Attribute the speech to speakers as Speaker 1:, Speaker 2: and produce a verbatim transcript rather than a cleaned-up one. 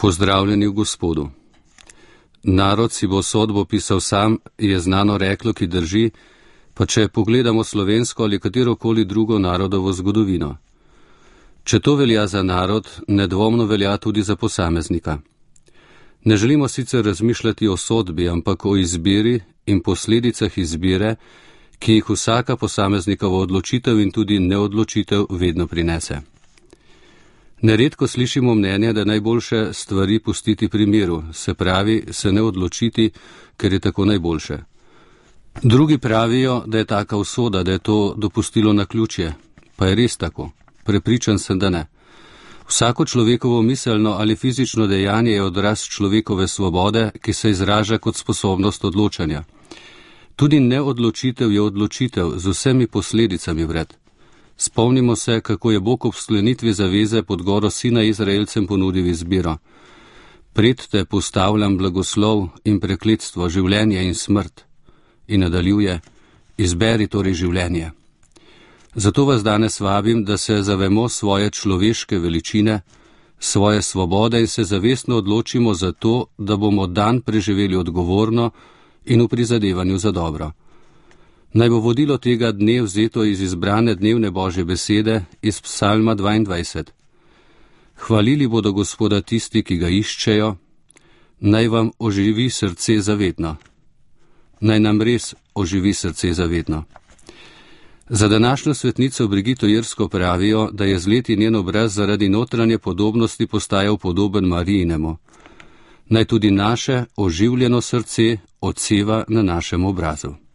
Speaker 1: Pozdravljeni v Gospodu. Narod si bo sodbo pisal sam, je znano reklo, ki drži, pa če pogledamo slovensko ali katerokoli drugo narodovo zgodovino. Če to velja za narod, nedvomno velja tudi za posameznika. Ne želimo sicer razmišljati o sodbi, ampak o izbiri in posledicah izbire, ki jih vsaka posameznikova odločitev in tudi neodločitev vedno prinese. Neredko slišimo mnenje, da je najboljše stvari pustiti pri miru, se pravi, se ne odločiti, ker je tako najboljše. Drugi pravijo, da je taka usoda, da je to dopustilo naključje, pa je res tako. Prepričan sem, da ne. Vsako človekovo miselno ali fizično dejanje je odraz človekove svobode, ki se izraža kot sposobnost odločanja. Tudi neodločitev je odločitev z vsemi posledicami vred. Spomnimo se, kako je Bog ob sklenitvi zaveze pod goro Sina Izraelcem ponudil izbiro. Pred te postavljam blagoslov in prekletstvo, življenje in smrt. In nadaljuje, izberi torej življenje. Zato vas danes vabim, da se zavemo svoje človeške veličine, svoje svobode in se zavestno odločimo za to, da bomo dan preživeli odgovorno in v prizadevanju za dobro. Naj bo vodilo tega dne vzeto iz izbrane dnevne Božje besede iz Psalma dvaindvajset. Hvalili bodo Gospoda tisti, ki ga iščejo, naj vam oživi srce zavedno. Naj nam res oživi srce zavedno. Za današnjo svetnico Brigito Jersko pravijo, da je z leti njen obraz zaradi notranje podobnosti postajal podoben Marijinemu. Naj tudi naše oživljeno srce odseva na našem obrazu.